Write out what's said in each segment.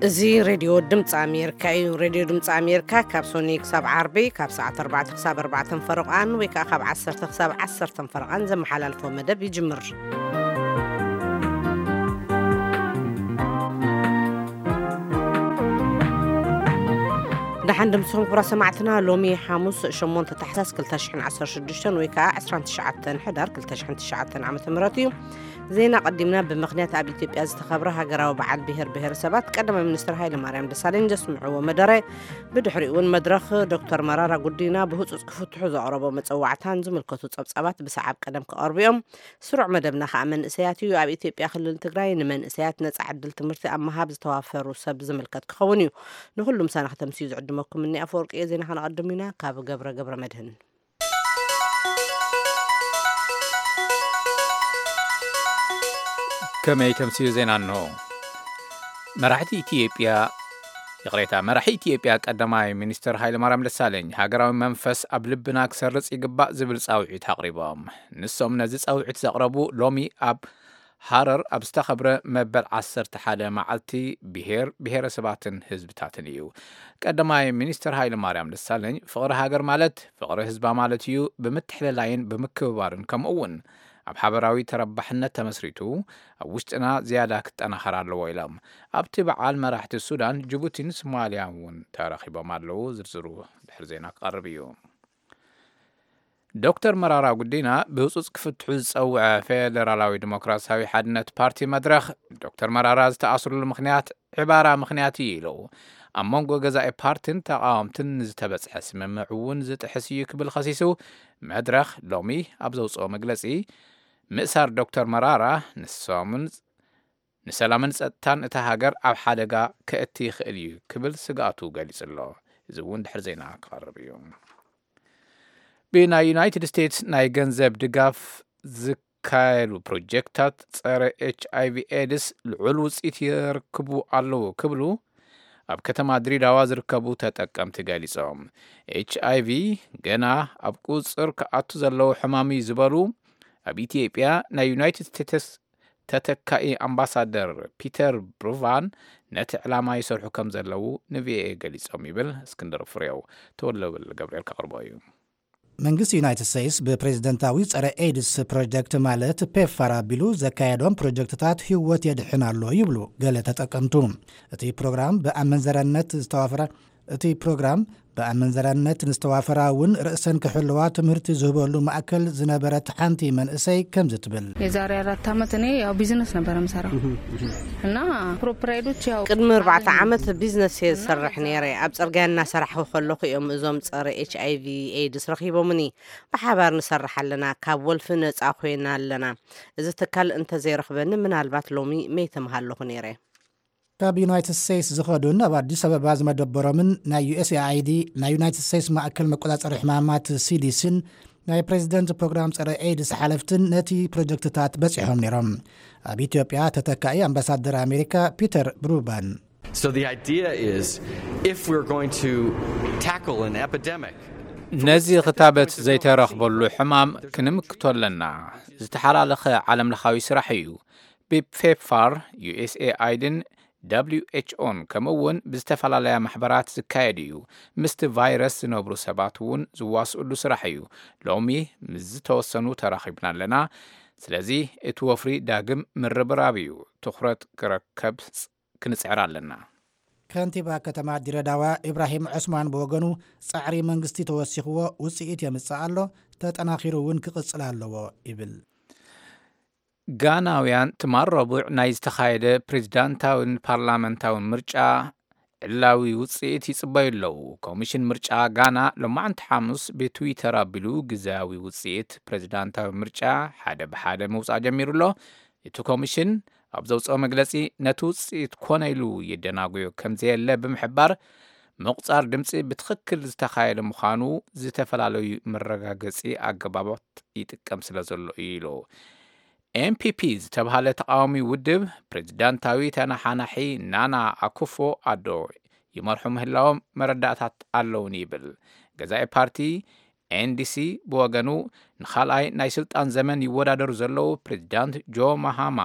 እዚ ሬድዮ ድምፂ ኣሜሪካ እዩ። ሬድዮ ድምፂ ኣሜሪካ ካብ ሶኒ ክሳብ ዓርቢ ካብ ሰዓት ኣርባዕተ ክሳብ ኣርባዕተ ፈረቓን ወይ ከዓ ካብ ዓሰርተ ክሳብ ዓሰርተ ፈረቓን ዘመሓላልፎ መደብ ይጅምር። ደሓን ድምፅኹም ክቡራ ሰማዕትና፣ ሎሚ ሓሙስ ሸሞንተ ታሕሳስ ክልተ ሽሕን ዓሰርተ ሽዱሽተን ወይ ከዓ ዕስራን ትሽዓተን ሕዳር ክልተ ሽሕን ትሽዓተን ዓመተ ምህረት እዩ። ዜና ቀዲምና። ብምኽንያት ኣብ ኢትዮጵያ ዝተኸብረ ሃገራዊ በዓል ብሔር ብሔረሰባት፣ ቀዳማይ ሚኒስትር ሃይለ ማርያም ደሳለኝ ዘስምዕዎ መደረ፣ ብድሕሪኡ እውን መድረኽ ዶክተር መራራ ጉዲና ብህፁፅ ክፍትሑ ዘቕረቦ መፀዋዕታን ዝምልከቱ ፀብፃባት ብሰዓብ ቀደም ክቐርቡ እዮም። ስሩዕ መደብና ከዓ መንእሰያት እዩ። ኣብ ኢትዮጵያ ክልል ትግራይ ንመንእሰያት ነፃ ዕድል ትምህርቲ ኣብ ምሃብ ዝተዋፈሩ ሰብ ዝምልከት ክኸውን እዩ። ንኹሉም ሳና ከተምስዩ ዝዕድመኩም እኒ ኣፈወርቂ እየ። ዜና ከነቐድም ኢና። ካብ ገብረ ገብረ መድህን። ከመይ ተምስዩ ዜና እንሆ። መራሕቲ ኢትዮጵያ ይቕሬታ፣ መራሒ ኢትዮጵያ ቀዳማይ ሚኒስትር ሃይለማርያም ደሳለኝ ሃገራዊ መንፈስ ኣብ ልብና ክሰርጽ ይግባእ ዝብል ጻውዒት ኣቕሪቦም። ንሶም ነዚ ጻውዒት ዘቕረቡ ሎሚ ኣብ ሃረር ኣብ ዝተኸብረ መበል ዓሰርተ ሓደ መዓልቲ ብሔር ብሔረሰባትን ህዝብታትን እዩ። ቀዳማይ ሚኒስትር ሃይለማርያም ደሳለኝ ፍቕሪ ሃገር ማለት ፍቕሪ ህዝባ ማለት እዩ፣ ብምትሕልላይን ብምክብባርን ከምኡ እውን ኣብ ሓበራዊ ተረባሕነት ተመስሪቱ ኣብ ውሽጥና ዝያዳ ክጠናኸር ኣለዎ ኢሎም። ኣብቲ በዓል መራሕቲ ሱዳን፣ ጅቡቲን ሶማልያን እውን ተረኺቦም ኣለዉ። ዝርዝሩ ድሕሪ ዜና ክቐርብ እዩ። ዶክተር መራራ ጉዲና ብህፁፅ ክፍትሑ ዝፀውዐ ፌደራላዊ ዲሞክራሲያዊ ሓድነት ፓርቲ መድረኽ፣ ዶክተር መራራ ዝተኣስሩሉ ምኽንያት ዕባራ ምኽንያት እዩ ኢሉ። ኣብ መንጎ ገዛኢ ፓርቲን ተቓወምትን ንዝተበፅሐ ስምምዕ እውን ዝጥሕስ እዩ ክብል ከሲሱ። መድረኽ ሎሚ ኣብ ዘውፅኦ መግለፂ፣ ምእሳር ዶክተር መራራ ንሶምን ንሰላምን ጸጥታን እታ ሃገር ኣብ ሓደጋ ከእቲ ይኽእል እዩ ክብል ስግኣቱ ገሊጹ ኣሎ። እዚ እውን ድሕሪ ዜና ክቐርብ እዩ። ብናይ ዩናይትድ ስቴትስ ናይ ገንዘብ ድጋፍ ዝካየዱ ፕሮጀክታት ጸረ ኤች ኣይ ቪ ኤድስ ልዑል ውጽኢት የርክቡ ኣለዉ ክብሉ ኣብ ከተማ ድሬዳዋ ዝርከቡ ተጠቀምቲ ገሊጾም። ኤች ኣይ ቪ ገና ኣብ ቁጽር ክኣቱ ዘለዎ ሕማም እዩ ዝበሉ ኣብ ኢትዮጵያ ናይ ዩናይትድ ስቴትስ ተተካኢ ኣምባሳደር ፒተር ብሩቫን ነቲ ዕላማ ይሰርሑ ከም ዘለዉ ንቪኦኤ ገሊጾም ይብል እስክንድር ፍሬው። ተወልደወልድ ገብርኤል ከቕርቦ እዩ። መንግስቲ ዩናይትድ ስቴትስ ብፕሬዝደንታዊ ጸረ ኤድስ ፕሮጀክት ማለት ፔፕፋር ኣቢሉ ዘካየዶም ፕሮጀክትታት ህይወት የድሕን ኣሎ ይብሉ ገለ ተጠቀምቱ። እቲ ፕሮግራም ብኣመንዘራነት ዝተዋፈረ እቲ ፕሮግራም ብኣመንዘራነት ንዝተዋፈራ እውን ርእሰን ክሕልዋ ትምህርቲ ዝህበሉ ማእከል ዝነበረት ሓንቲ መንእሰይ ከምዚ ትብል። የዛሬ አራት ዓመት እኔ ያው ቢዝነስ ነበረ ምሰራው እና ፕሮፕራይዶች ያው ቅድሚ ኣርባዕተ ዓመት ቢዝነስ እየ ዝሰርሕ ነይረ። ኣብ ጽርግያ እናሰራሕኹ ከለኹ እዮም እዞም ጸረ ኤች ኣይ ቪ ኤድስ ረኺቦምኒ። ብሓባር ንሰርሕ ኣለና፣ ካብ ወልፊ ነጻ ኮይና ኣለና። እዚ ትካል እንተዘይረኽበኒ ምናልባት ሎሚ መይተ ምሃለኹ ነይረ። ካብ ዩናይትድ ስቴትስ ዝኸዱን ኣብ ኣዲስ ኣበባ ዝመደበሮምን ናይ ዩ ኤስ ኤ ኣይ ዲ ናይ ዩናይትድ ስቴትስ ማእከል መቆጻጸሪ ሕማማት ሲ ዲ ሲን ናይ ፕሬዚደንት ፕሮግራም ጸረ ኤድስ ሓለፍትን ነቲ ፕሮጀክትታት በጺሖም ነይሮም። ኣብ ኢትዮጵያ ተተካኢ ኣምባሳደር ኣሜሪካ ፒተር ብሩባን So the idea is if we're going to tackle an epidemic, ነዚ ክታበት ዘይተረኽበሉ ሕማም ክንምክቶ ኣለና። ዝተሓላለኸ ዓለም ለኻዊ ስራሕ እዩ። ብፔፕፋር፣ ዩ ኤስ ኤ ኣይድን ደብሊው ኤች ኦን ከምኡ እውን ብዝተፈላለያ ማሕበራት ዝካየድ እዩ። ምስቲ ቫይረስ ዝነብሩ ሰባት እውን ዝዋስእሉ ስራሕ እዩ። ሎሚ ምስ ዝተወሰኑ ተራኺብና ኣለና። ስለዚ እቲ ወፍሪ ዳግም ምርብራብ እዩ። ትኹረት ክረከብ ክንጽዕር ኣለና። ከንቲባ ከተማ ድሬዳዋ ኢብራሂም ዑስማን ብወገኑ ጻዕሪ መንግስቲ ተወሲኽዎ ውጽኢት የምጽእ ኣሎ፣ ተጠናኺሩ እውን ክቕጽል ኣለዎ ይብል። ጋናውያን ትማል ረቡዕ ናይ ዝተኻየደ ፕሬዚዳንታዊን ፓርላመንታዊን ምርጫ ዕላዊ ውጽኢት ይጽበዩ ኣለዉ። ኮሚሽን ምርጫ ጋና ሎማዕንቲ ሓሙስ ብትዊተር ኣቢሉ ግዝያዊ ውጽኢት ፕሬዚዳንታዊ ምርጫ ሓደ ብሓደ ምውጻእ ጀሚሩ ኣሎ። እቲ ኮሚሽን ኣብ ዘውጽኦ መግለጺ ነቲ ውጽኢት ኮነ ኢሉ ይደናጎዮ ከም ዘየለ ብምሕባር ምቑጻር ድምጺ ብትኽክል ዝተኻየደ ምዃኑ ዝተፈላለዩ መረጋገጺ ኣገባባት ይጥቀም ስለ ዘሎ እዩ ኢሉ። ኤም ፒ ፒ ዝተብሃለ ተቓዋሚ ውድብ ፕሬዚዳንታዊ ተነሓናሒ ናና ኣኩፎ ኣዶ ይመርሑ ምህላዎም መረዳእታት ኣለውኒ ይብል። ገዛኢ ፓርቲ ኤንዲሲ ብወገኑ ንኻልኣይ ናይ ስልጣን ዘመን ይወዳደሩ ዘለዉ ፕሬዚዳንት ጆ ማሃማ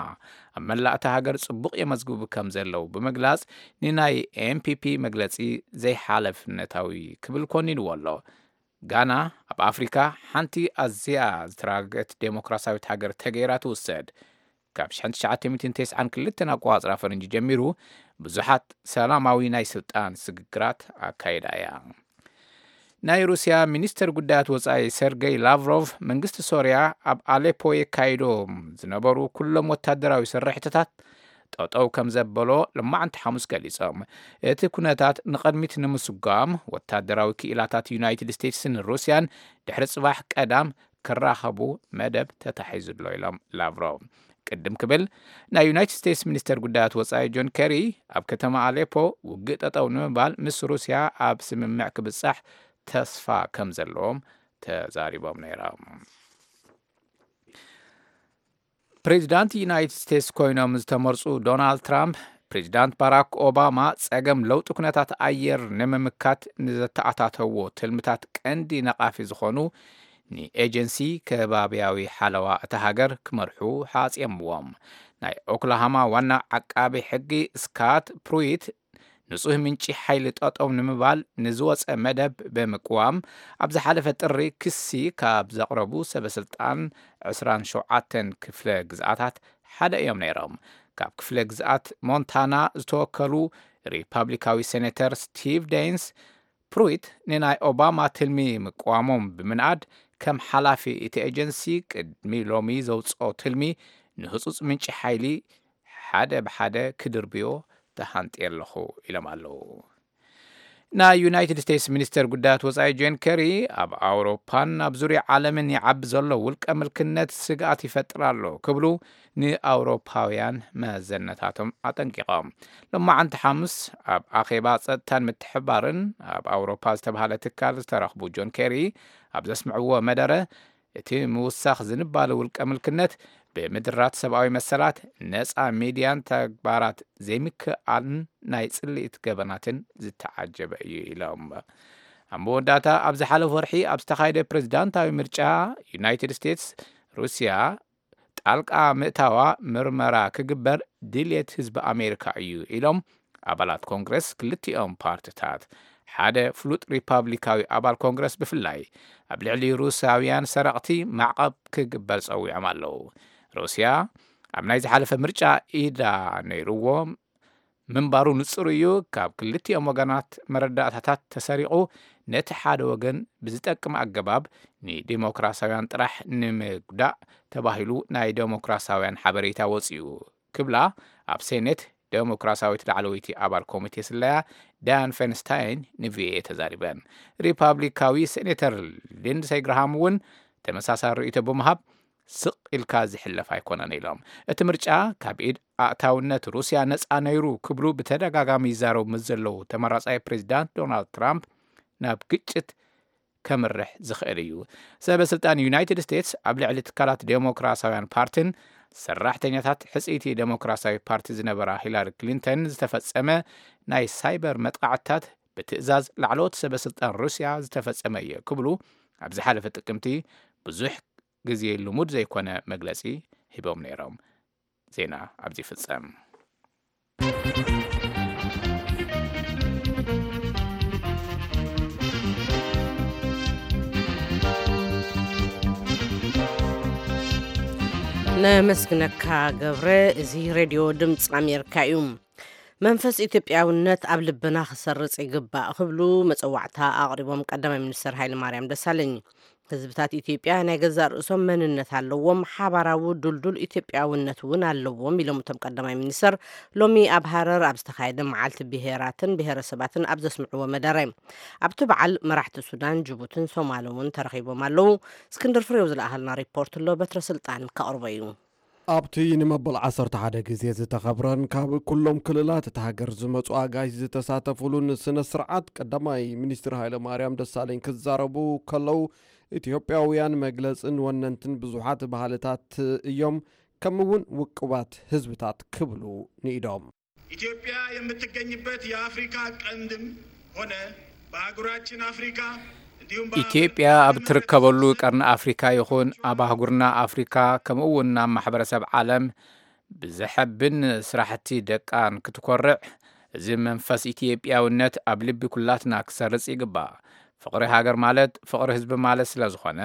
ኣብ መላእ እታ ሃገር ጽቡቕ የመዝግቡ ከም ዘለዉ ብምግላጽ ንናይ ኤምፒፒ መግለጺ ዘይሓለፍነታዊ ክብል ኮኒንዎ ኣሎ። ጋና ኣብ ኣፍሪካ ሓንቲ ኣዝያ ዝተረጋገት ዴሞክራሲያዊት ሃገር ተገይራ ትውሰድ። ካብ ሽሕን ትሽዓተ ሚእትን ተስዓን ክልተን ኣቆጻጽራ ፈረንጂ ጀሚሩ ብዙሓት ሰላማዊ ናይ ስልጣን ስግግራት ኣካይዳ እያ። ናይ ሩስያ ሚኒስተር ጉዳያት ወጻኢ ሰርገይ ላቭሮቭ መንግስቲ ሶርያ ኣብ ኣሌፖ የካይዶም ዝነበሩ ኩሎም ወታደራዊ ስርሕትታት ጠጠው ከም ዘበሎ ልማዕንቲ ሓሙስ ገሊጾም። እቲ ኩነታት ንቐድሚት ንምስጓም ወታደራዊ ክኢላታት ዩናይትድ ስቴትስን ሩስያን ድሕሪ ጽባሕ ቀዳም ክራኸቡ መደብ ተታሒዙ ኣሎ ኢሎም ላቭሮቭ። ቅድም ክብል ናይ ዩናይትድ ስቴትስ ሚኒስተር ጉዳያት ወጻኢ ጆን ኬሪ ኣብ ከተማ ኣሌፖ ውግእ ጠጠው ንምባል ምስ ሩስያ ኣብ ስምምዕ ክብጻሕ ተስፋ ከም ዘለዎም ተዛሪቦም ነይሮም። ፕሬዚዳንት ዩናይትድ ስቴትስ ኮይኖም ዝተመርጹ ዶናልድ ትራምፕ ፕሬዚዳንት ባራክ ኦባማ ጸገም ለውጢ ኩነታት ኣየር ንምምካት ንዘተኣታተዎ ትልምታት ቀንዲ ነቓፊ ዝኾኑ ንኤጀንሲ ከባብያዊ ሓለዋ እታ ሃገር ክመርሑ ሓጽየምዎም። ናይ ኦክላሃማ ዋና ዓቃቢ ሕጊ ስካት ፕሩይት ንጹህ ምንጪ ሓይሊ ጠጠው ንምባል ንዝወጸ መደብ ብምቅዋም ኣብ ዝሓለፈ ጥሪ ክሲ ካብ ዘቕረቡ ሰበ ስልጣን ዕስራን ሸውዓተን ክፍለ ግዝኣታት ሓደ እዮም ነይሮም። ካብ ክፍለ ግዝኣት ሞንታና ዝተወከሉ ሪፓብሊካዊ ሴኔተር ስቲቭ ዴንስ ፕሩይት ንናይ ኦባማ ትልሚ ምቅዋሞም ብምንኣድ ከም ሓላፊ እቲ ኤጀንሲ ቅድሚ ሎሚ ዘውፅኦ ትልሚ ንህፁፅ ምንጪ ሓይሊ ሓደ ብሓደ ክድርብዮ ተሃንጥየ ኣለኹ ኢሎም ኣለዉ። ናይ ዩናይትድ ስቴትስ ሚኒስተር ጉዳያት ወጻኢ ጆን ኬሪ ኣብ ኣውሮፓን ኣብ ዙርያ ዓለምን ይዓቢ ዘሎ ውልቀ ምልክነት ስግኣት ይፈጥር ኣሎ ክብሉ ንኣውሮፓውያን መዘነታቶም ኣጠንቂቖም። ሎማዓንቲ ሓሙስ ኣብ ኣኼባ ጸጥታን ምትሕባርን ኣብ ኣውሮፓ ዝተባህለ ትካል ዝተረኽቡ ጆን ኬሪ ኣብ ዘስምዕዎ መደረ እቲ ምውሳኽ ዝንባለ ውልቀ ምልክነት ብምድራት ሰብኣዊ መሰላት ነጻ ሚድያን ተግባራት ዘይምክኣልን ናይ ጽልኢት ገበናትን ዝተዓጀበ እዩ ኢሎም። ኣብ መወዳእታ ኣብ ዝሓለፈ ወርሒ ኣብ ዝተኻየደ ፕሬዝዳንታዊ ምርጫ ዩናይትድ ስቴትስ ሩስያ ጣልቃ ምእታዋ ምርመራ ክግበር ድልየት ህዝቢ ኣሜሪካ እዩ ኢሎም ኣባላት ኮንግረስ ክልቲኦም ፓርትታት። ሓደ ፍሉጥ ሪፓብሊካዊ ኣባል ኮንግረስ ብፍላይ ኣብ ልዕሊ ሩስያውያን ሰረቕቲ ማዕቐብ ክግበር ጸዊዖም ኣለዉ። ሩስያ ኣብ ናይ ዝሓለፈ ምርጫ ኢዳ ነይርዎ ምንባሩ ንጹር እዩ። ካብ ክልቲኦም ወገናት መረዳእታታት ተሰሪቑ ነቲ ሓደ ወገን ብዝጠቅም ኣገባብ ንዲሞክራሲያውያን ጥራሕ ንምጉዳእ ተባሂሉ ናይ ዲሞክራሲያውያን ሓበሬታ ወጺኡ ክብላ ኣብ ሴኔት ዴሞክራሲያዊት ላዕለወይቲ ኣባል ኮሚቴ ስለያ ዳያን ፌንስታይን ንቪኦኤ ተዛሪበን። ሪፓብሊካዊ ሴኔተር ሊንድሰይ ግርሃም እውን ተመሳሳሊ ርእይቶ ብምሃብ ስቕ ኢልካ ዝሕለፍ ኣይኮነን ኢሎም። እቲ ምርጫ ካብ ኢድ ኣእታውነት ሩስያ ነፃ ነይሩ ክብሉ ብተደጋጋሚ ይዛረቡ ምስ ዘለዉ ተመራጻይ ፕሬዚዳንት ዶናልድ ትራምፕ ናብ ግጭት ከምርሕ ዝኽእል እዩ። ሰበ ስልጣን ዩናይትድ ስቴትስ ኣብ ልዕሊ ትካላት ዴሞክራሲያውያን ፓርቲን ሰራሕተኛታት ሕጽይቲ ዴሞክራሲያዊ ፓርቲ ዝነበራ ሂላሪ ክሊንተን ዝተፈጸመ ናይ ሳይበር መጥቃዕትታት ብትእዛዝ ላዕለዎት ሰበ ስልጣን ሩስያ ዝተፈጸመ እዩ ክብሉ ኣብ ዝሓለፈ ጥቅምቲ ብዙሕ ግዜ ልሙድ ዘይኮነ መግለጺ ሂቦም ነይሮም። ዜና ኣብዚ ይፍጸም። ነመስግነካ ገብረ። እዚ ሬድዮ ድምፂ ኣሜሪካ እዩ። መንፈስ ኢትዮጵያውነት ኣብ ልብና ክሰርጽ ይግባእ ክብሉ መጸዋዕታ ኣቕሪቦም ቀዳማይ ሚኒስትር ሃይለ ማርያም ደሳለኝ። ህዝብታት ኢትዮጵያ ናይ ገዛእ ርእሶም መንነት ኣለዎም፣ ሓባራዊ ድልዱል ኢትዮጵያውነት እውን ኣለዎም ኢሎም እቶም ቀዳማይ ሚኒስትር ሎሚ ኣብ ሃረር ኣብ ዝተኻየደ መዓልቲ ብሄራትን ብሄረሰባትን ኣብ ዘስምዕዎ መደረ። ኣብቲ በዓል መራሕቲ ሱዳን፣ ጅቡትን ሶማልን እውን ተረኺቦም ኣለዉ። እስክንድር ፍሬው ዝለኣኸልና ሪፖርት ኣሎ፣ በትረ ስልጣን ከቕርቦ እዩ። ኣብቲ ንመበል ዓሰርተ ሓደ ግዜ ዝተኸብረን ካብ ኩሎም ክልላት እታ ሃገር ዝመጹ ኣጋይሽ ዝተሳተፉሉን ስነ ስርዓት ቀዳማይ ሚኒስትር ሃይለ ማርያም ደሳለኝ ክዛረቡ ከለዉ፣ ኢትዮጵያውያን መግለጽን ወነንትን ብዙሓት ባህልታት እዮም፣ ከምኡውን ውቁባት ህዝብታት ክብሉ ንኢዶም። ኢትዮጵያ የምትገኝበት የአፍሪካ ቀንድም ሆነ በአህጉራችን አፍሪካ እንደ ኢትዮጵያ ኣብ ትርከበሉ ቀርኒ ኣፍሪካ ይኹን ኣብ ኣህጉርና ኣፍሪካ፣ ከምኡ እውን ናብ ማሕበረሰብ ዓለም ብዘሐብን ስራሕቲ ደቃ ንክትኮርዕ፣ እዚ መንፈስ ኢትዮጵያውነት ኣብ ልቢ ኩላትና ክሰርጽ ይግባእ። ፍቕሪ ሃገር ማለት ፍቕሪ ህዝቢ ማለት ስለ ዝኾነ፣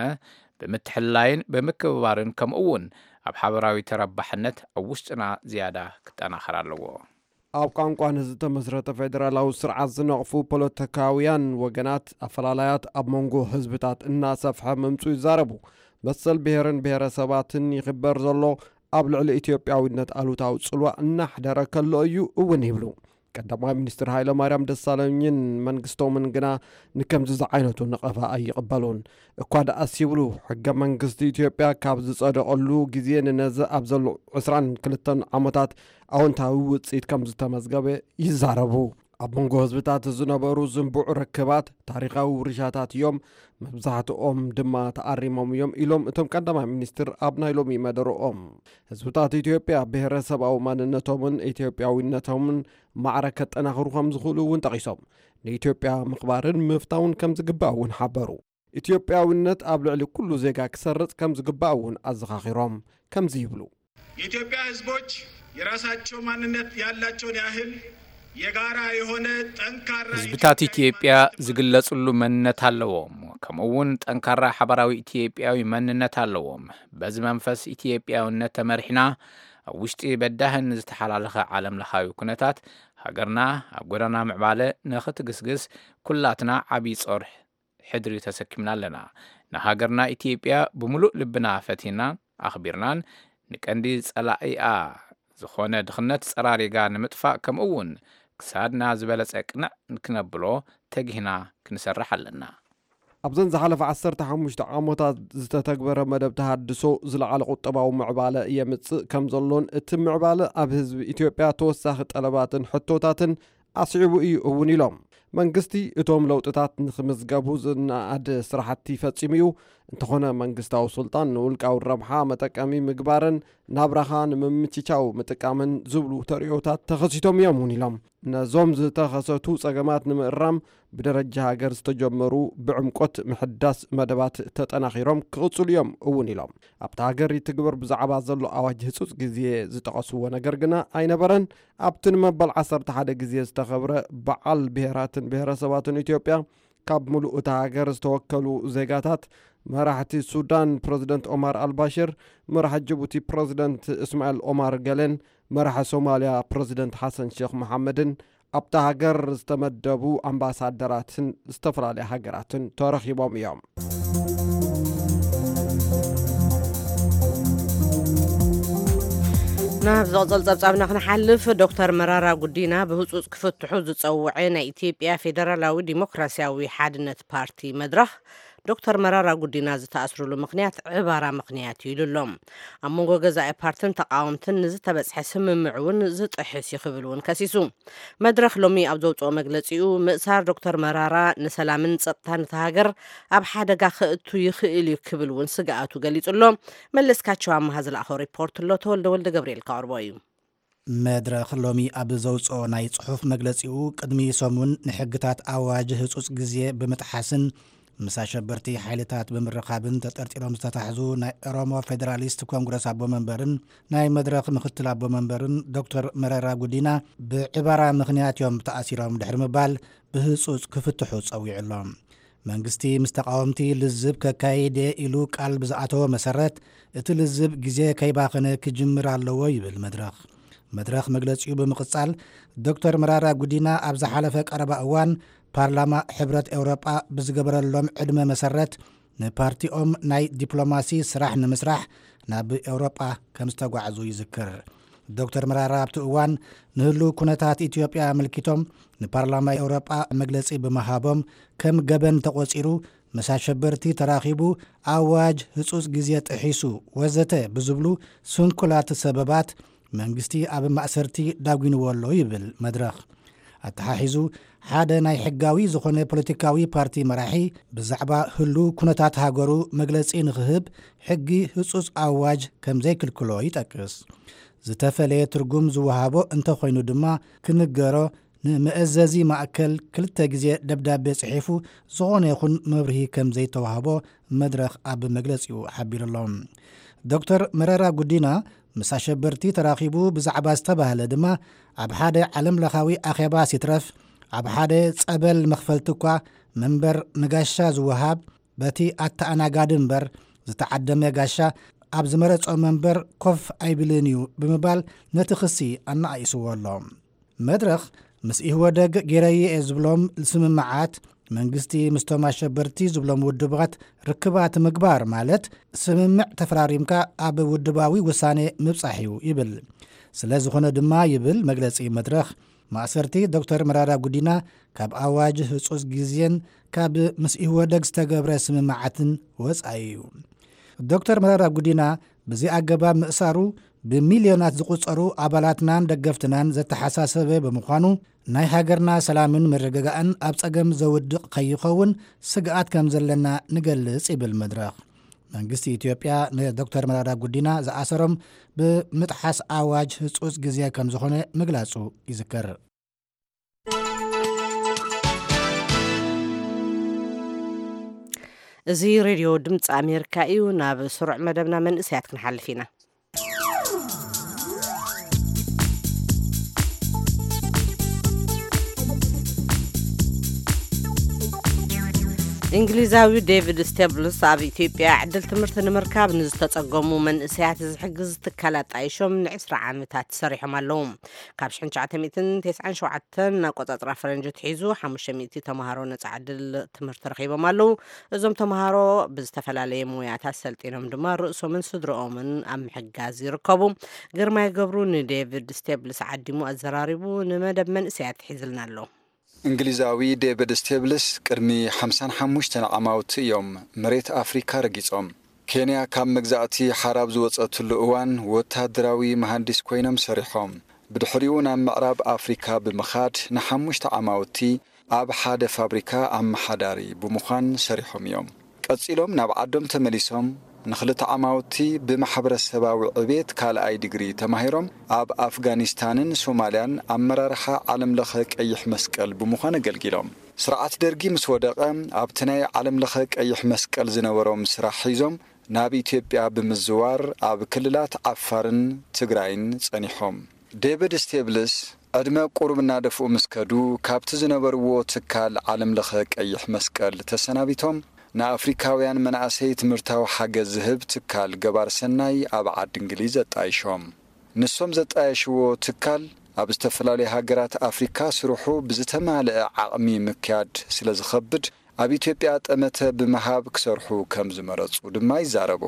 ብምትሕልላይን ብምክብባርን፣ ከምኡ እውን ኣብ ሓበራዊ ተረባሕነት ኣብ ውሽጥና ዝያዳ ክጠናኸር ኣለዎ። ኣብ ቋንቋን ዝተመስረተ ፌደራላዊ ስርዓት ዝነቕፉ ፖለቲካውያን ወገናት፣ ኣፈላላያት ኣብ መንጎ ህዝብታት እናሰፍሐ ምምፁ ይዛረቡ። መሰል ብሔርን ብሔረሰባትን ይኽበር ዘሎ ኣብ ልዕሊ ኢትዮጵያዊነት ኣሉታዊ ጽልዋ እናሕደረ ከሎ እዩ እውን ይብሉ። ቀዳማይ ሚኒስትር ሃይለ ማርያም ደሳለኝን መንግስቶምን ግና ንከምዚ ዝዓይነቱ ነቐፋ ኣይቕበሉን። እኳ ደኣስ ይብሉ፣ ሕገ መንግስቲ ኢትዮጵያ ካብ ዝጸደቐሉ ግዜ ንነዚ ኣብ ዘሎ ዕስራን ክልተን ዓመታት ኣወንታዊ ውጽኢት ከም ዝተመዝገበ ይዛረቡ። ኣብ መንጎ ህዝብታት ዝነበሩ ዝንቡዕ ርክባት ታሪኻዊ ውርሻታት እዮም፣ መብዛሕትኦም ድማ ተኣሪሞም እዮም ኢሎም እቶም ቀዳማይ ሚኒስትር ኣብ ናይ ሎሚ መደረኦም። ህዝብታት ኢትዮጵያ ብሔረሰባዊ ማንነቶምን ኢትዮጵያዊነቶምን ማዕረ ከጠናኽሩ ከም ዝኽእሉ እውን ጠቒሶም፣ ንኢትዮጵያ ምኽባርን ምፍታውን ከም ዝግባእ እውን ሓበሩ። ኢትዮጵያዊነት ኣብ ልዕሊ ኩሉ ዜጋ ክሰርጽ ከም ዝግባእ እውን ኣዘኻኺሮም፣ ከምዚ ይብሉ። የኢትዮጵያ ህዝቦች የራሳቸው ማንነት ያላቸውን ያህል የጋራ የሆነ ጠንካራ ህዝብታት ኢትዮጵያ ዝግለጽሉ መንነት ኣለዎም። ከምኡ እውን ጠንካራ ሓባራዊ ኢትዮጵያዊ መንነት ኣለዎም። በዚ መንፈስ ኢትዮጵያውነት ተመሪሕና፣ ኣብ ውሽጢ በዳህን ዝተሓላለኸ ዓለም ለኻዊ ኩነታት፣ ሃገርና ኣብ ጎዳና ምዕባለ ንኽትግስግስ ኩላትና ዓብዪ ጾር ሕድሪ ተሰኪምና ኣለና። ንሃገርና ኢትዮጵያ ብምሉእ ልብና ፈቲናን ኣኽቢርናን፣ ንቀንዲ ጸላኢኣ ዝኾነ ድኽነት ጸራሪጋ ንምጥፋእ፣ ከምኡ እውን ክሳድና ዝበለጸ ቅንዕ ክነብሎ ተጊህና ክንሰርሕ ኣለና። ኣብዘን ዝሓለፈ ዓሰርተ ሓሙሽተ ዓመታት ዝተተግበረ መደብ ተሃድሶ ዝለዓለ ቁጠባዊ ምዕባለ የምጽእ ከም ዘሎን፣ እቲ ምዕባለ ኣብ ህዝቢ ኢትዮጵያ ተወሳኺ ጠለባትን ሕቶታትን ኣስዒቡ እዩ እውን ኢሎም። መንግስቲ እቶም ለውጥታት ንክምዝገቡ ዝነኣድ ስራሕቲ ፈጺሙ እዩ። እንተኾነ መንግስታዊ ስልጣን ንውልቃዊ ረብሓ መጠቀሚ ምግባርን ናብራኻ ንምምችቻው ምጥቃምን ዝብሉ ተርእዮታት ተኸሲቶም እዮም እውን ኢሎም። ነዞም ዝተኸሰቱ ጸገማት ንምእራም ብደረጃ ሃገር ዝተጀመሩ ብዕምቆት ምሕዳስ መደባት ተጠናኺሮም ክቕጽሉ እዮም እውን ኢሎም። ኣብታ ሃገር ይትግበር ብዛዕባ ዘሎ ኣዋጅ ህጹጽ ግዜ ዝጠቐስዎ ነገር ግና ኣይነበረን። ኣብቲ ንመበል ዓሰርተ ሓደ ግዜ ዝተኸብረ በዓል ብሄራትን ብሄረሰባትን ኢትዮጵያ፣ ካብ ምሉእ እታ ሃገር ዝተወከሉ ዜጋታት፣ መራሕቲ ሱዳን ፕረዚደንት ኦማር ኣልባሽር፣ መራሒ ጅቡቲ ፕረዚደንት እስማኤል ኦማር ገሌን መራሒ ሶማልያ ፕረዚደንት ሓሰን ሼክ መሓመድን፣ ኣብታ ሃገር ዝተመደቡ ኣምባሳደራትን ዝተፈላለያ ሃገራትን ተረኺቦም እዮም። ናብ ዝቕጽል ጸብጻብና ክንሓልፍ፣ ዶክተር መራራ ጉዲና ብህጹጽ ክፍትሑ ዝጸውዐ ናይ ኢትዮጵያ ፌደራላዊ ዲሞክራሲያዊ ሓድነት ፓርቲ መድረኽ፣ ዶክተር መራራ ጉዲና ዝተኣስርሉ ምኽንያት ዕባራ ምኽንያት እዩ ኢሉ ኣሎ። ኣብ መንጎ ገዛኢ ፓርትን ተቃወምትን ንዝተበጽሐ ስምምዕ እውን ዝጥሕስ እዩ ክብል እውን ከሲሱ። መድረኽ ሎሚ ኣብ ዘውጽኦ መግለጺኡ፣ ምእሳር ዶክተር መራራ ንሰላምን ጸጥታን እታ ሃገር ኣብ ሓደጋ ከእቱ ይኽእል እዩ ክብል እውን ስግኣቱ ገሊጹ ኣሎ። መለስካቸው ኣመሃ ዝለኣኾ ሪፖርት ኣሎ፣ ተወልደ ወልደ ገብርኤል ከቕርቦ እዩ። መድረኽ ሎሚ ኣብ ዘውጽኦ ናይ ጽሑፍ መግለጺኡ፣ ቅድሚ ሰሙን ንሕግታት ኣዋጅ ህጹጽ ግዜ ብምጥሓስን ምስ ኣሸበርቲ ሓይልታት ብምርኻብን ተጠርጢሮም ዝተታሕዙ ናይ ኦሮሞ ፌደራሊስት ኮንግረስ ኣቦ መንበርን ናይ መድረኽ ምኽትል ኣቦ መንበርን ዶክተር መረራ ጉዲና ብዕባራ ምኽንያት እዮም ተኣሲሮም ድሕሪ ምባል ብህጹጽ ክፍትሑ ጸዊዑ ኣሎ። መንግስቲ ምስ ተቃወምቲ ልዝብ ከካይድ እየ ኢሉ ቃል ብዝኣተወ መሰረት፣ እቲ ልዝብ ግዜ ከይባኸነ ክጅምር ኣለዎ ይብል መድረኽ። መድረኽ መግለጺኡ ብምቕጻል፣ ዶክተር መራራ ጉዲና ኣብ ዝሓለፈ ቀረባ እዋን ፓርላማ ሕብረት ኤውሮጳ ብዝገበረሎም ዕድመ መሰረት፣ ንፓርቲኦም ናይ ዲፕሎማሲ ስራሕ ንምስራሕ ናብ ኤውሮጳ ከም ዝተጓዕዙ ይዝክር። ዶክተር መራራ ኣብቲ እዋን ንህልው ኩነታት ኢትዮጵያ ኣመልኪቶም ንፓርላማ ኤውሮጳ መግለጺ ብምሃቦም፣ ከም ገበን ተቖጺሩ፣ ምስ ኣሸበርቲ ተራኺቡ፣ ኣዋጅ ህጹጽ ግዜ ጥሒሱ፣ ወዘተ ብዝብሉ ስንኩላት ሰበባት መንግስቲ ኣብ ማእሰርቲ ዳጒንዎ ኣሎ ይብል መድረኽ። ኣተሓሒዙ፣ ሓደ ናይ ሕጋዊ ዝኾነ ፖለቲካዊ ፓርቲ መራሒ ብዛዕባ ህሉው ኩነታት ሃገሩ መግለጺ ንኽህብ ሕጊ ህጹጽ ኣዋጅ ከም ዘይክልክሎ ይጠቅስ። ዝተፈለየ ትርጉም ዝወሃቦ እንተኾይኑ ድማ ክንገሮ ንመእዘዚ ማእከል ክልተ ግዜ ደብዳቤ ጽሒፉ ዝኾነ ይኹን መብርሂ ከም ዘይተዋህቦ መድረኽ ኣብ መግለጺኡ ሓቢሩ ኣሎ። ዶክተር መረራ ጉዲና ምስ ኣሸበርቲ ተራኺቡ ብዛዕባ ዝተባህለ ድማ፣ ኣብ ሓደ ዓለም ለኻዊ ኣኼባ ሲትረፍ፣ ኣብ ሓደ ጸበል መኽፈልቲ እኳ መንበር ንጋሻ ዝወሃብ፣ በቲ ኣተኣናጋዲ እምበር ዝተዓደመ ጋሻ ኣብ ዝመረጾ መንበር ኮፍ ኣይብልን እዩ ብምባል ነቲ ክሲ ኣነኣኢስዎ ኣሎ። መድረኽ ምስ ኢህወደግ ገይረዮ እየ ዝብሎም ስምምዓት፣ መንግስቲ ምስቶም ኣሸበርቲ ዝብሎም ውድባት ርክባት ምግባር ማለት ስምምዕ ተፈራሪምካ ኣብ ውድባዊ ውሳኔ ምብጻሕ እዩ ይብል። ስለ ዝኾነ ድማ ይብል መግለጺ መድረኽ፣ ማእሰርቲ ዶክተር መራራ ጉዲና ካብ ኣዋጅ ህጹጽ ግዜን ካብ ምስ ኢህወደግ ዝተገብረ ስምምዓትን ወጻኢ እዩ። ዶክተር መረራ ጉዲና ብዚ ኣገባብ ምእሳሩ ብሚልዮናት ዝቑጸሩ ኣባላትናን ደገፍትናን ዘተሓሳሰበ ብምዃኑ፣ ናይ ሃገርና ሰላምን ምርግጋእን ኣብ ጸገም ዘውድቕ ከይኸውን ስግኣት ከም ዘለና ንገልጽ ይብል መድረኽ። መንግስቲ ኢትዮጵያ ንዶክተር መረራ ጉዲና ዝኣሰሮም ብምጥሓስ ኣዋጅ ህጹጽ ግዜ ከም ዝኾነ ምግላጹ ይዝከር። እዚ ሬድዮ ድምፂ ኣሜሪካ እዩ። ናብ ስሩዕ መደብና መንእሰያት ክንሓልፍ ኢና። እንግሊዛዊ ዴቪድ ስቴብልስ ኣብ ኢትዮጵያ ዕድል ትምህርቲ ንምርካብ ንዝተጸገሙ መንእሰያት ዝሕግዝ ትካል ኣጣይሾም ንዕስራ ዓመታት ሰሪሖም ኣለዉ። ካብ ሽሕን ትሽዓተ ሚእትን ተስዓን ሸውዓተን ኣቆጻጽራ ፈረንጂ ኣትሒዙ ሓሙሽተ ሚእቲ ተምሃሮ ነጻ ዕድል ትምህርቲ ረኺቦም ኣለዉ። እዞም ተምሃሮ ብዝተፈላለየ ሞያታት ሰልጢኖም ድማ ርእሶምን ስድርኦምን ኣብ ምሕጋዝ ይርከቡ። ግርማይ ገብሩ ንዴቪድ ስቴብልስ ዓዲሙ ኣዘራሪቡ ንመደብ መንእሰያት ሒዝልና ኣሎ። እንግሊዛዊ ዴቪድ ስቴብልስ ቅድሚ ሓምሳን ሓሙሽተን ዓማውቲ እዮም መሬት ኣፍሪካ ረጊጾም። ኬንያ ካብ መግዛእቲ ሓራብ ዝወጸትሉ እዋን ወታደራዊ መሃንዲስ ኮይኖም ሰሪሖም። ብድሕሪኡ ናብ ምዕራብ ኣፍሪካ ብምኻድ ንሓሙሽተ ዓማውቲ ኣብ ሓደ ፋብሪካ ኣመሓዳሪ ብምዃን ሰሪሖም እዮም። ቀጺሎም ናብ ዓዶም ተመሊሶም ንኽልተ ዓማውቲ ብማሕበረሰባዊ ዕቤት ካልኣይ ዲግሪ ተማሂሮም ኣብ ኣፍጋኒስታንን ሶማልያን ኣመራርሓ ዓለምለኸ ቀይሕ መስቀል ብምዃን ኣገልጊሎም። ስርዓት ደርጊ ምስ ወደቐ ኣብቲ ናይ ዓለምለኸ ቀይሕ መስቀል ዝነበሮም ስራሕ ሒዞም ናብ ኢትዮጵያ ብምዝዋር ኣብ ክልላት ዓፋርን ትግራይን ጸኒሖም። ዴቪድ ስቴብልስ ዕድመ ቁሩብ እናደፍኡ ምስ ከዱ ካብቲ ዝነበርዎ ትካል ዓለምለኸ ቀይሕ መስቀል ተሰናቢቶም ንኣፍሪካውያን መናእሰይ ትምህርታዊ ሓገዝ ዝህብ ትካል ገባር ሰናይ ኣብ ዓዲ እንግሊዝ ኣጣይሾም። ንሶም ዘጣየሽዎ ትካል ኣብ ዝተፈላለዩ ሃገራት ኣፍሪካ ስርሑ ብዝተማልአ ዓቕሚ ምክያድ ስለ ዝኸብድ ኣብ ኢትዮጵያ ጠመተ ብምሃብ ክሰርሑ ከም ዝመረፁ ድማ ይዛረቡ።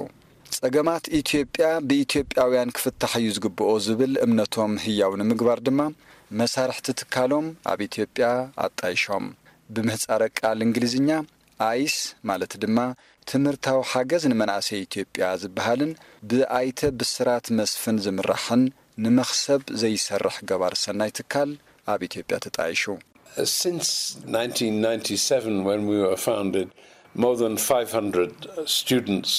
ጸገማት ኢትዮጵያ ብኢትዮጵያውያን ክፍታሕ እዩ ዝግብኦ ዝብል እምነቶም ህያው ንምግባር ድማ መሳርሕቲ ትካሎም ኣብ ኢትዮጵያ ኣጣይሾም። ብምህጻረ ቃል እንግሊዝኛ ኣይስ ማለት ድማ ትምህርታዊ ሓገዝ ንመናእሰይ ኢትዮጵያ ዝበሃልን ብኣይተ ብስራት መስፍን ዝምራሕን ንመኽሰብ ዘይሰርሕ ገባር ሰናይ ትካል ኣብ ኢትዮጵያ ተጣይሹ። Since nineteen ninety-seven, when we were founded, more than five hundred students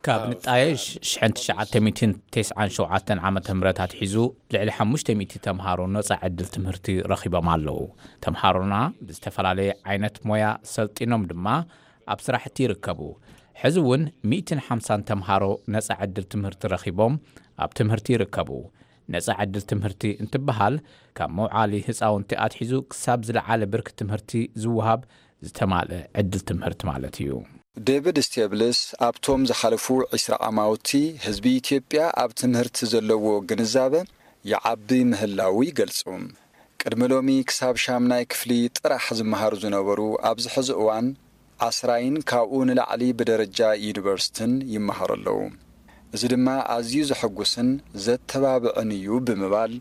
ካብ ንጣየሽ ሽሕን ትሽዓተ ሚእትን ተስዓን ሸውዓተን ዓመተ ምህረት ኣትሒዙ ልዕሊ ሓሙሽተ ሚእቲ ተምሃሮ ነጻ ዕድል ትምህርቲ ረኺቦም ኣለዉ። ተምሃሮና ብዝተፈላለየ ዓይነት ሞያ ሰልጢኖም ድማ ኣብ ስራሕቲ ይርከቡ። ሕዚ እውን ሚእትን ሓምሳን ተምሃሮ ነጻ ዕድል ትምህርቲ ረኺቦም ኣብ ትምህርቲ ይርከቡ። ነጻ ዕድል ትምህርቲ እንትበሃል ካብ መውዓሊ ህፃውንቲ ኣትሒዙ ክሳብ ዝለዓለ ብርኪ ትምህርቲ ዝወሃብ ዝተማልአ ዕድል ትምህርቲ ማለት እዩ። ዴቪድ ስቴብልስ ኣብቶም ዝሓለፉ ዕስራ ዓማውቲ ህዝቢ ኢትዮጵያ ኣብ ትምህርቲ ዘለዎ ግንዛበ ይዓቢ ምህላዉ ይገልጹ። ቅድሚ ሎሚ ክሳብ ሻምናይ ክፍሊ ጥራሕ ዝመሃሩ ዝነበሩ ኣብዚ ሕዚ እዋን ዓስራይን ካብኡ ንላዕሊ ብደረጃ ዩኒቨርሲቲን ይመሃሩ ኣለዉ። እዚ ድማ ኣዝዩ ዘሐጉስን ዘተባብዕን እዩ ብምባል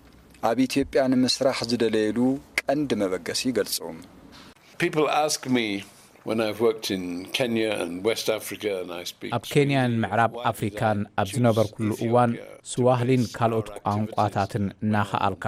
ኣብ ኢትዮጵያ ንምስራሕ ዝደለየሉ ቀንዲ መበገሲ ይገልጹ። People ask me when I've worked in Kenya and West Africa and I speak ኣብ ኬንያን ምዕራብ ኣፍሪካን ኣብ ዝነበርኩሉ እዋን ስዋህሊን ካልኦት ቋንቋታትን እናኸኣልካ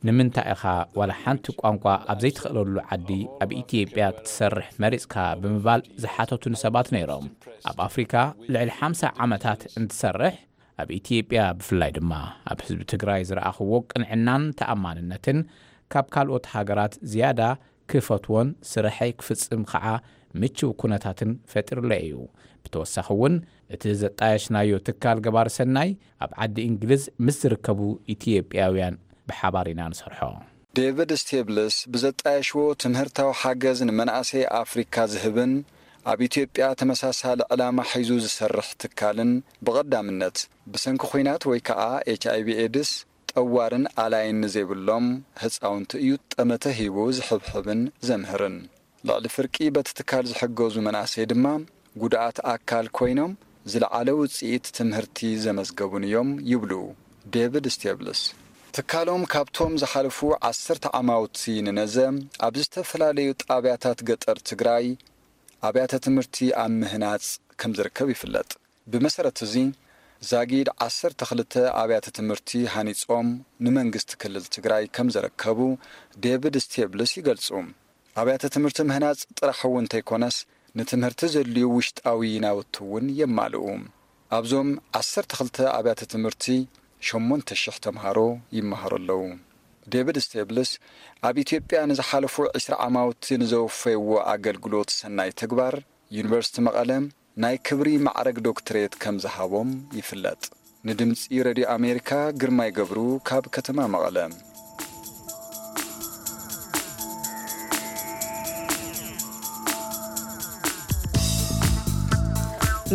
ንምንታይ ኢኻ ዋላ ሓንቲ ቋንቋ ኣብ ዘይትኽእለሉ ዓዲ ኣብ ኢትዮጵያ ክትሰርሕ መሪፅካ ብምባል ዝሓተቱኒ ሰባት ነይሮም። ኣብ ኣፍሪካ ልዕሊ ሓምሳ ዓመታት እንትሰርሕ ኣብ ኢትዮጵያ ብፍላይ ድማ ኣብ ህዝቢ ትግራይ ዝረኣኽዎ ቅንዕናን ተኣማንነትን ካብ ካልኦት ሃገራት ዝያዳ ክፈትዎን ስርሐይ ክፍጽም ኸዓ ምችው ኩነታትን ፈጢሩለይ እዩ። ብተወሳኺ እውን እቲ ዘጣየሽናዮ ትካል ገባር ሰናይ ኣብ ዓዲ እንግሊዝ ምስ ዝርከቡ ኢትዮጵያውያን ብሓባር ኢና ንሰርሖ። ዴቪድ ስቴብልስ ብዘጣየሽዎ ትምህርታዊ ሓገዝ ንመናእሰይ ኣፍሪካ ዝህብን ኣብ ኢትዮጵያ ተመሳሳሊ ዕላማ ሒዙ ዝሰርሕ ትካልን ብቐዳምነት ብሰንኪ ኲናት ወይ ከዓ ኤች ኣይ ቪ ኤድስ ጠዋርን ኣላይን ንዘይብሎም ህፃውንቲ እዩ ጠመተ ሂቡ ዝሕብሕብን ዘምህርን። ልዕሊ ፍርቂ በቲ ትካል ዝሕገዙ መናእሰይ ድማ ጉድኣት ኣካል ኮይኖም ዝለዓለ ውፅኢት ትምህርቲ ዘመዝገቡን እዮም ይብሉ ዴቪድ ስቴብልስ። ትካሎም ካብቶም ዝሓለፉ ዓሰርተ ዓማውቲ ንነዘ ኣብ ዝተፈላለዩ ጣብያታት ገጠር ትግራይ ኣብያተ ትምህርቲ ኣብ ምህናፅ ከም ዝርከብ ይፍለጥ። ብመሰረት እዚ ዛጊድ ዓሰርተ ክልተ ኣብያተ ትምህርቲ ሃኒፆም ንመንግስቲ ክልል ትግራይ ከም ዘረከቡ ዴቪድ ስቴብልስ ይገልፁ። ኣብያተ ትምህርቲ ምህናፅ ጥራሕ እውን እንተይኮነስ ንትምህርቲ ዘድልዩ ውሽጣዊ ናውቲ እውን የማልኡ። ኣብዞም ዓሰርተ ክልተ ኣብያተ ትምህርቲ ሸሞንተ ሽሕ ተምሃሮ ይመሃሩ ኣለዉ። ዴቪድ ስቴብልስ ኣብ ኢትዮጵያ ንዝሓለፉ ዕስራ ዓማውቲ ንዘወፈይዎ ኣገልግሎት ሰናይ ተግባር ዩኒቨርሲቲ መቐለ ናይ ክብሪ ማዕረግ ዶክትሬት ከም ዝሃቦም ይፍለጥ። ንድምፂ ሬድዮ ኣሜሪካ ግርማይ ገብሩ ካብ ከተማ መቐለ።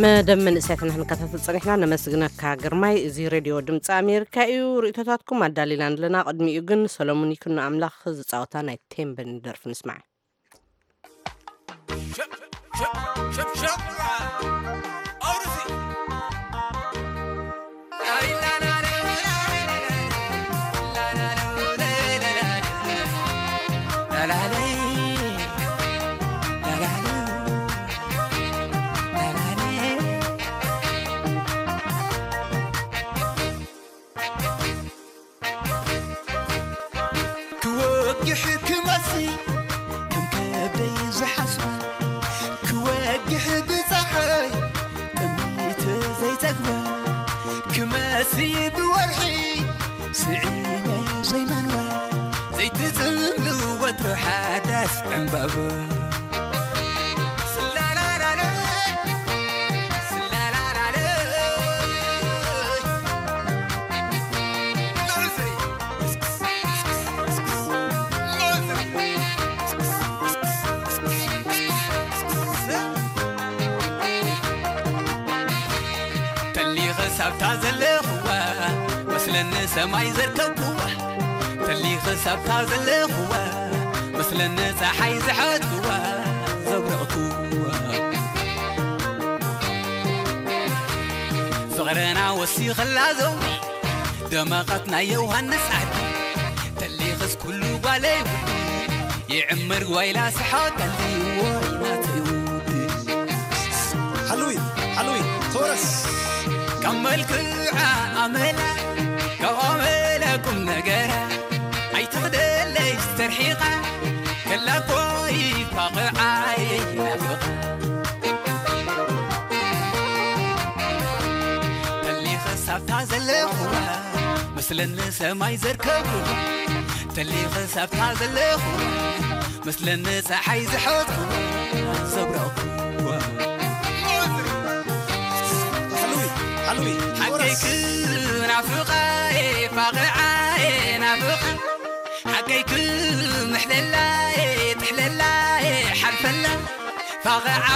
መደብ መንእሰያትና ክንከታተል ጸኒሕና። ነመስግነካ ግርማይ። እዚ ሬድዮ ድምፂ ኣሜሪካ እዩ። ርእይቶታትኩም ኣዳሊና ኣለና። ቅድሚኡ ግን ሰሎሙን ይኩኖ ኣምላኽ ዝጻወታ ናይ ቴምበን ደርፊ ንስማዕ። ክወግሕ ክመሲ ከም ከብደይ ዝሓስባ፣ ክወግሕ ብፀሓይ ጥሚት ዘይፀግባ፣ ክመሲ ብወርሒ ስዒመ ዘይመንዋ፣ ዘይትፅምሉ ወትሩ ሓዳስ ዕምባባ። ተሊኸ ሳብታ ዘለኽዋ መስለኒ ሰማይ ዘርከብክዋ፣ ተሊኸ ሳብታ ዘለኽዋ መስለኒ ፀሓይ ዝሓትክዋ ዘብረቕክዋ። ፍቕርና ወሲኸላ ዘውዲ ደመቐት ናይ ዮሃንስ ዓዲ፣ ተሊኸስ ኩሉ ጓለይ ውዲ ይዕምር ጓይላ ስሓቀሊ ወይ ናተይ ውዲ። ሓሉይ ሓሉይ ተወረስ ካብ መልክዓ ኣመላ ካብ ኣመላ ቁም ነገራ ኣይትኽደለይ ዝተርሒቓ ከላ ኮይ ፋቕዓይ ናፍቓ። ተሊኸ ሳብታ ዘለኹዋ መስለኒ ሰማይ ዘርከብኩዋ፣ ተሊኸ ሳብታ ዘለኹዋ መስለኒ ፀሓይ ዝሓዝኩዋ ዘብረቕኩዋ። ሓሉይ ሓሉይ ሓቀይ ክናፍቓ ፋቕዓ ናፍቓ ሓቀይ ክምሕለላ ትሕለላ ሓልፈላ ፋቕዓ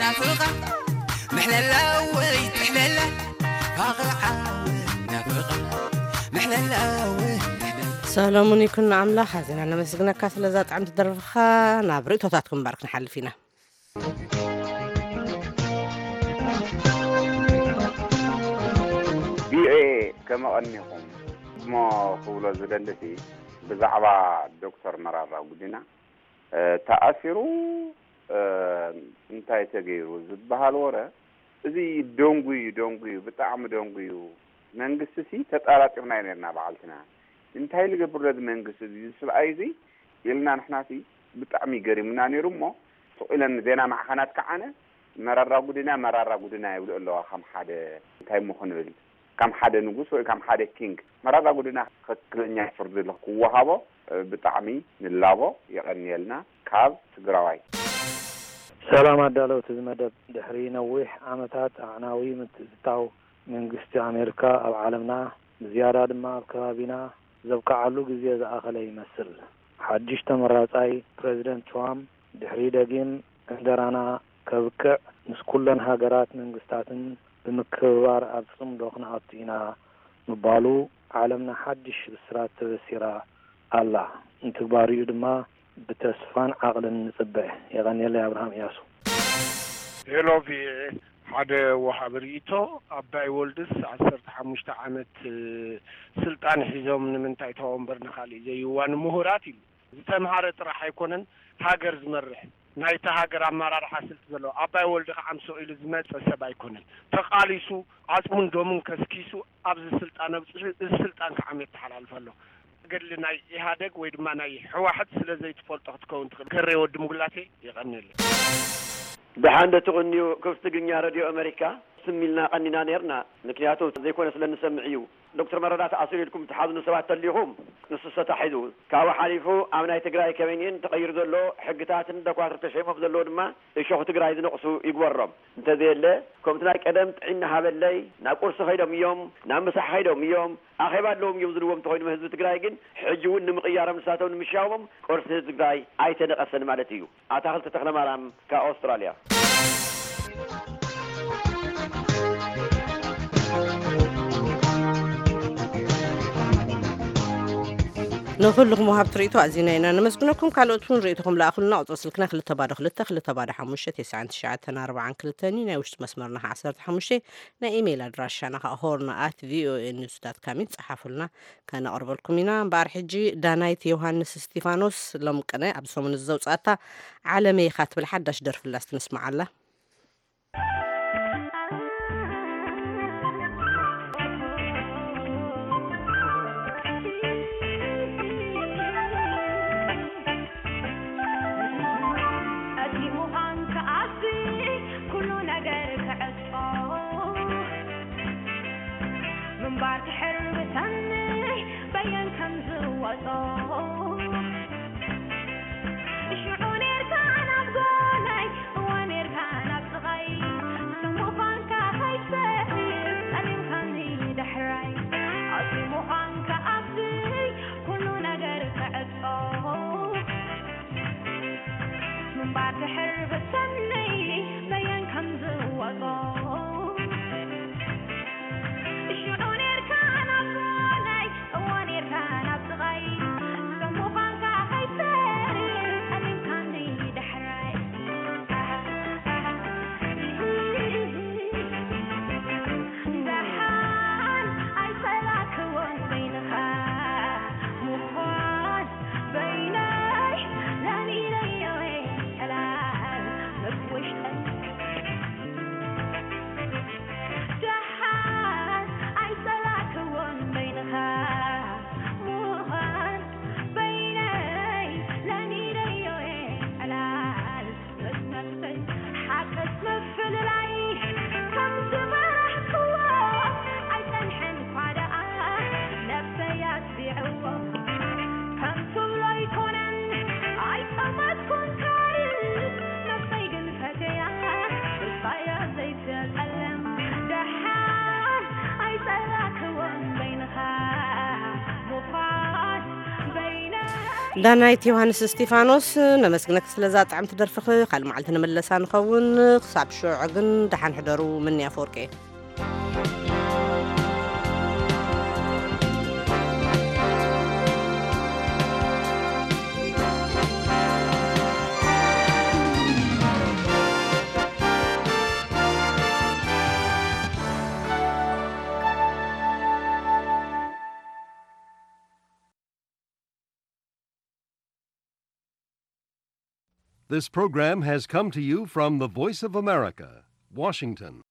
ናፍቓ ምሕለላ ወይ ትሕለላ ፋቕዓ ናፍቓ ምሕለላ ወይ ትሕለላ። ሰሎሙን ይኩኖ ኣምላኽ ኣዚና ነመስግነካ ስለዛ ጥዕምቲ ደርፍኻ። ናብ ርእቶታትኩም እምበር ክንሓልፍ ኢና። ቪኦኤ ከመቐኒኹም እሞ ክብሎ ዝደልሲ ብዛዕባ ዶክተር መራራ ጉዲና እ፣ ተኣሲሩ እ፣ እንታይ ተገይሩ ዝበሃል ወረ እዚ ደንጉዩ ደንጉዩ ብጣዕሚ ደንጉዩ። መንግስቲ ሲ ተጠራጢርናዮ ነርና በዓልትና እንታይ ልገብር ነዚ መንግስቲ እዚ ሰብኣይ እዚ ኢልና ንሕና ሲ ብጣዕሚ ገሪሙና ነይሩ እሞ ስቕ ኢለን ዜና ማዕኸናት ከዓነ መራራ ጉድና መራራ ጉድና ይብሉ ኣለዋ ከም ሓደ እንታይ እሞ ክንብል ከም ሓደ ንጉስ ወይ ከም ሓደ ኪንግ መራራ ጉድና ትኽክለኛ ፍርዲ ክወሃቦ ብጣዕሚ ንላቦ። የቐንየልና። ካብ ትግራዋይ። ሰላም ኣዳለውቲ እዚ መደብ። ድሕሪ ነዊሕ ዓመታት ኣዕናዊ ምትእትታው መንግስቲ ኣሜሪካ ኣብ ዓለምና፣ ብዝያዳ ድማ ኣብ ከባቢና ዘብቅዓሉ ግዜ ዝኣኸለ ይመስል። ሓድሽ ተመራጻይ ፕረዚደንት ትራምፕ ድሕሪ ደጊም ዕንደራና ከብቅዕ ምስ ኩለን ሃገራት መንግስታትን ብምክብባር ኣብ ጽምዶ ክንኣቱ ኢና ምባሉ ዓለምና ሓድሽ ብስራት ተበሲራ ኣላ። ንትግባሪኡ ድማ ብተስፋን ዓቕልን ንጽበ። የቐንየለይ። ኣብርሃም እያሱ። ሄሎ ቪኦኤ፣ ሓደ ወሃቢ ርእይቶ፣ ኣባይ ወልድስ ዓሰርተ ሓሙሽተ ዓመት ስልጣን ሒዞም ንምንታይ ተወንበር ንኻልእ ዘይዋን ምሁራት ኢሉ። ዝተምሃረ ጥራሕ ኣይኮነን ሃገር ዝመርሕ፣ ናይታ ሃገር ኣመራርሓ ስልቲ ዘለዎ። ኣባይ ወልዲ ከዓ ምስ ኢሉ ዝመፀ ሰብ ኣይኮነን። ተቓሊሱ፣ ዓፅሙን ደሙን ከስኪሱ ኣብዚ ስልጣን ኣብፅሑ፣ እዚ ስልጣን ከዓ መተሓላልፍ ኣሎ። ገድሊ ናይ ኢህኣደግ ወይ ድማ ናይ ህዋሕት ስለ ዘይትፈልጦ ክትከውን ትኽእል። ገሬ ወዲ ምጉላቴ፣ የቐንየለይ። ደሓን ዶ ትቕንዩ? ክፍቲ ትግርኛ ሬድዮ ኣመሪካ ስም ኢልና ቀኒና ነርና። ምክንያቱ ዘይኮነ ስለ እንሰምዕ እዩ። ዶክተር መረዳ ተኣሲሩ ኢልኩም ትሓዝኑ ሰባት ተሊኹም፣ ንሱ ተታሒዙ። ካብኡ ሓሊፉ ኣብ ናይ ትግራይ ከበይንኤን ተቐይሩ ዘሎ ሕግታትን ዶክተር ተሸይሞም ዘለዎ ድማ እሾኽ ትግራይ ዝነቕሱ ይግበሮም። እንተዘየለ፣ ከምቲ ናይ ቀደም ጥዒና ሃበለይ፣ ናብ ቁርሲ ከይዶም እዮም፣ ናብ ምሳሕ ከይዶም እዮም፣ ኣኼባ ኣለዎም እዮም ዝብልዎም እንተኾይኑ ህዝቢ ትግራይ ግን፣ ሕጂ እውን ንምቕያሮም ንሳቶም ንምሻሞም ቅርሲ ህዝቢ ትግራይ ኣይተነቐሰን ማለት እዩ። ኣታኽልቲ ተኽለማርያም ካብ ኣውስትራልያ። ንኹልኹም ወሃብቲ ርእይቶ ኣዚና ኢና ነመስግነኩም። ካልኦት እውን ርእይቶኹም ለኣኹልና። ቁጽሪ ስልክና ክልተ ባዶ ክልተ፣ ክልተ ባዶ ሓሙሽተ፣ ተስዓን ትሽዓተን ኣርባዓን ክልተን እዩ። ናይ ውሽጢ መስመርና ከኣ ዓሰርተ ሓሙሽተ፣ ናይ ኢሜይል ኣድራሻና ከኣ ሆርን ኣት ቪኦኤ ኒውስ ዳት ካም እዩ። ጸሓፉልና፣ ከነቕርበልኩም ኢና። እምበኣር ሕጂ ዳናይት ዮሃንስ እስቲፋኖስ ሎም ቅነ ኣብ ሰሙን ዘውጻእታ ዓለመይ ኢኻ ትብል ሓዳሽ ደርፊ ኣላ፣ እስቲ ንስምዓላ። ምንባር ትሕር ብሰኒ በየን ከም ዝወጾ ሽዑ ኔርካ ናብ ጎነይ እወ ኔርካ ናብ ጥቓይ ስም ምዃንካ ከይትፈርስ ጸሊምካኒ ዳሕራይ ኣዚ ምዃንካ ኣብዚ ኩሉ ነገር ክዕጾ ምንባር ድሕር ብሰኒ በየን ከም ዝወጾ ሽዑ ኔርካ ናብ ጎነይ እወ ኔርካ ናብ ጥቓይ ስም ምዃንካ ከይትፈርስ ጸሊምካኒ ዳሕራይ ደሓን ኣይጸላእክዎን በይንኻ ምዃን በይነይ ለሚደዮ እየ ዕላል ምስ ውሽጠይ ደሓን ኣይጸላእክዎን በይንኻ ምዃን በይነይ ለሚደዮ እየ ዕላል ምስ ነፍሰይ ሓቅስ ምፍልላይ ከም ዝበራህክዎ ኣይጸንሐን እኳ ደኣ ነፍሰይ ኣትቢዕዎ ከም ትብሎ ኣይኮነን ኣይጠመትኩን ካልእ ነፍሰይ ግን ፈትያ እሳያ ዘይትጸለም ደሓን ኣይጸላእክዎን በይንኻ ምዃን በይነ ዳናይት ዮሃንስ እስቲፋኖስ፣ ነመስግነኪ ስለዛ ጥዕምቲ ደርፍኺ። ካልእ መዓልቲ ንምለሳ ንኸውን። ክሳብ ሽዑ ግን ደሓን ሕደሩ። ምንያ ኣፈወርቂ። This program has come to you from the Voice of America, Washington.